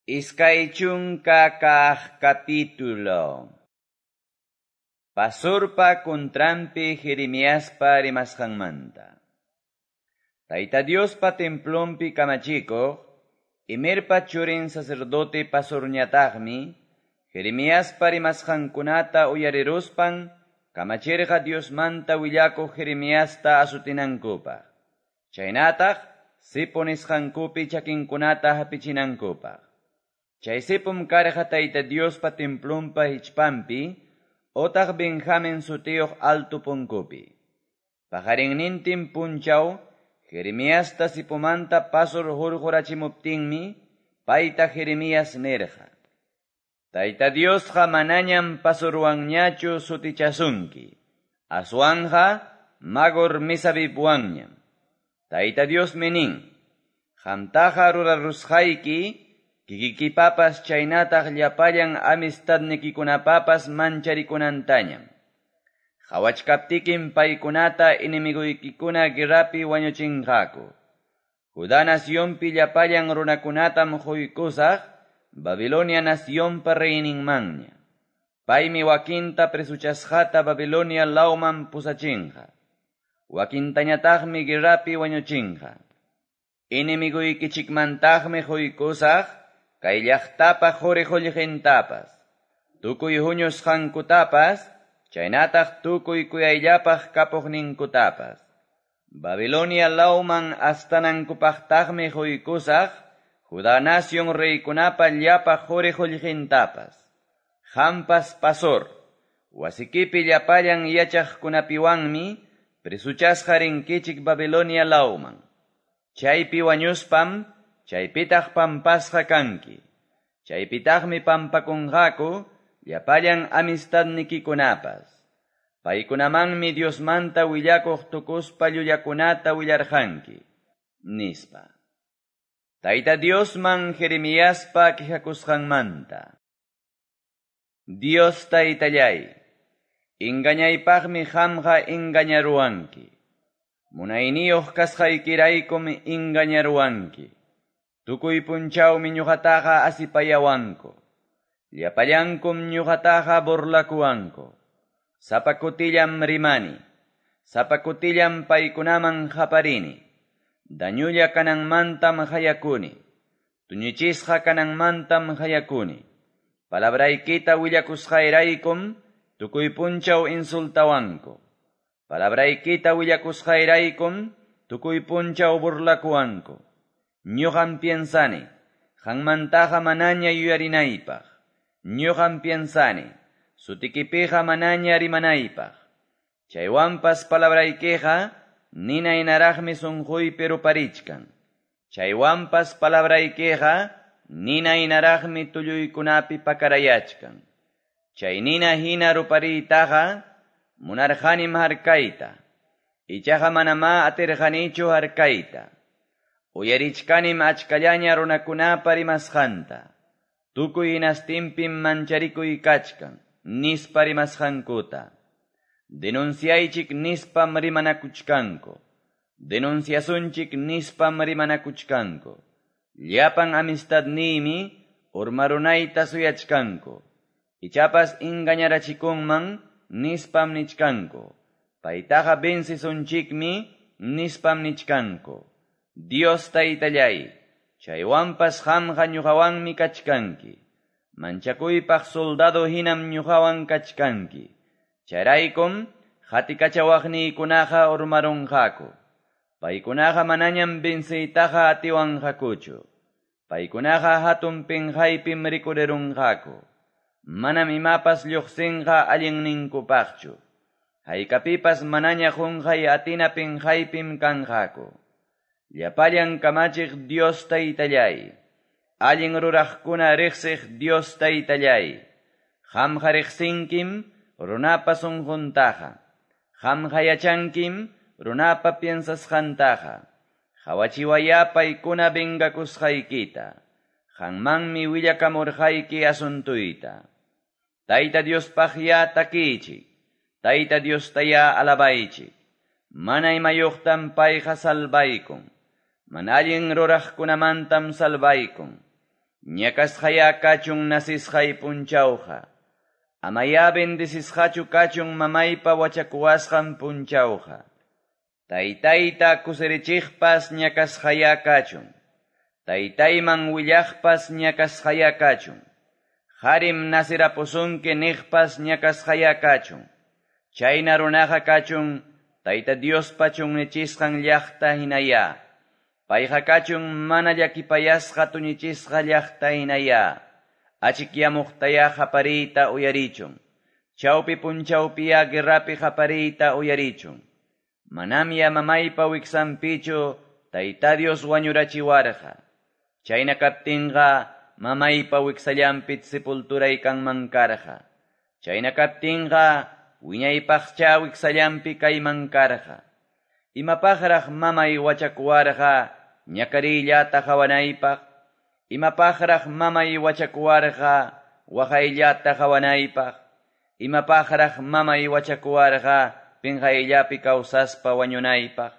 20 capítulo. Pasurpa contranpi Jeremiaspa rimasqanmanta. Tayta Diospa templonpi kamachikuq, Imerpa churin sacerdote Pasurñataqmi, Jeremiaspa rimasqankunata uyariruspan, kamachirqa Diosmanta willakuq Jeremiasta asutinankupaq. Chaynataq, sipo nisqankupi chakinkunata hapichinankupaq. Chay sipum karqa Tayta Diospa templonpa hichpanpi, otaq Benjamin sutiyuq alto punkupi. Paqarinnintin punchaw, Jeremiasta sipumanta Pasur hurqurachimuptinmi, payta Jeremías nirqa: Tayta Diosqa manañam Pasurwanñachu sutichasunki, aswanqa Magor Misabibwanñam. Tayta Diosmi nin, qamtaqa rurarusqayki, kikikipapas chaynataq llapallan amistadnikikunapapas mancharikunantañam. Qhawachkaptikim paykunata enemigoykikuna guerrapi wañuchinqaku. Judá nacionpi llapallan runakunatam quykusaq Babilonia nacionpa reyninmanña. Paymi wakinta presuchasqata Babilonia lawman pusachinqa. Wakintañataqmi guerrapi wañuchinqa. Enemigoykichikmantaqmi quykusaq kay llaqtapa quri qullqintapas, tukuy huñusqankutapas, chaynataq tukuy kuyayllapaq kapuqninkutapas. Babilonia lawman astanankupaqtaqmi quykusaq Judá nación reykunapa llapa quri qullqintapas. Qampas Pasor, wasikipi llapallan yachaqkunapiwanmi presuchasqa rinkichik Babilonia lawman. Chaypi wañuspam, chaypitaq pampasqa kanki. Chaypitaqmi pampakunqaku llapallan amistadnikikunapas. Paykunamanmi Diosmanta willakuq tukuspa llullakunata willarqanki, nispa. Tayta Diosman Jeremiaspa quejakusqanmanta. Dios Taytallay, engañaypaqmi qamqa engañaruwanki. Munayniyuq kasqaykiraykum engañaruwanki. Tukuy punchawmi ñuqataqa asipayawanku. Llapallankum ñuqataqa burlakuwanku. Sapa kutillam rimani. Sapa kutillam paykunaman qaparini. Dañulla kananmantam qayakuni. Tuñichisqa kananmantam qayakuni. Palabraykita willakusqayraykum tukuy punchaw insultawanku. Palabraykita willakusqayraykum tukuy punchaw burlakuwanku. Ñuqam piensani, qanmantaqa manaña yuyarinaypaq. Ñuqam piensani, sutikipiqa manaña rimanaypaq. Chaywanpas palabraykiqa nina hinaraqmi sunquypi ruparichkan. Chaywanpas palabraykiqa nina hinaraqmi tulluykunapi pakarayachkan. Chay nina hina rupariytaqa munarqanim harkayta. Ichaqa manamá atirqanichu harkayta. Uyarichkanim achkallaña runakunapa rimasqanta. Tukuy hinastinpim mancharikuy kachkan, nispa rimasqankuta. Denunciaychik nispam rimanakuchkanku. Denunciasunchik nispam rimanakuchkanku. Llapan amistadniymi urmarunayta suyachkanku. Ichapas engañarachikunman nispam nichkanku. Paytaqa vencisunchikmi nispam nichkanku. Dios Taytallay, chaywanpas qamqa ñuqawanmi kachkanki. Manchakuypaq soldado hinam ñuqawan kachkanki. Chayraykum qatikachawaqniykunaqa urmarunqaku. Paykunaqa manañam venciytaqa atiwanqakuchu. Paykunaqa hatun pinqaypim rikurirunqaku. Manam imapas lluqsinqa allinninkupaqchu. Haykapipas manaña qunqay atina pinqaypim kanqaku. Llapallan kamachiq Dios Taytallay, allin ruraqkuna riqsiq Dios Taytallay, qamqa riqsinkim runapa sunquntaqa, qamqa yachankim runapa piensasqantaqa, qawachiwayá paykuna vengakusqaykita, qanmanmi willakamurqayki asuntuyta. Tayta Diospaqyá takiychik, Tayta Diostayá alabaychik, mana imayuqtam payqa salvaykun. Mana allin ruraqkunamantam salvaykun. Ñakasqayá kachun nacesqay punchawqa. Amayá bendecisqachu kachun mamaypa wachakuwasqan punchawqa. Taytayta kusirichiqpas ñakasqayá kachun. Taytayman willaqpas ñakasqayá kachun. Qarim nacerapusunki niqpas ñakasqayá kachun. Chayna runaqa kachun Tayta Diospa chunnichisqan llaqta hinayá. Payqa kachun mana llakipayasqa tuñichisqa llaqta hinayá. Achikyamuqtayá qapariyta uyarichun. Chawpi punchawpiyá guerrapi qapariyta uyarichun. Manamya mamaypa wiksanpichu Tayta Dios wañurachiwarqa. Chayna kaptinqa mamaypa wiksallanpi sepulturay kanman karqa. Chayna kaptinqa wiñaypaqcha wiksallanpi kayman karqa. Imapaqraq mamay wachakuwarqa ñakariyllata qawanaypaq. Imapaqraq mamay wachakuwarqa waqayllata qawanaypaq. Imapaqraq mamay wachakuwarqa pinqayllapi kawsaspa wañunaypaq.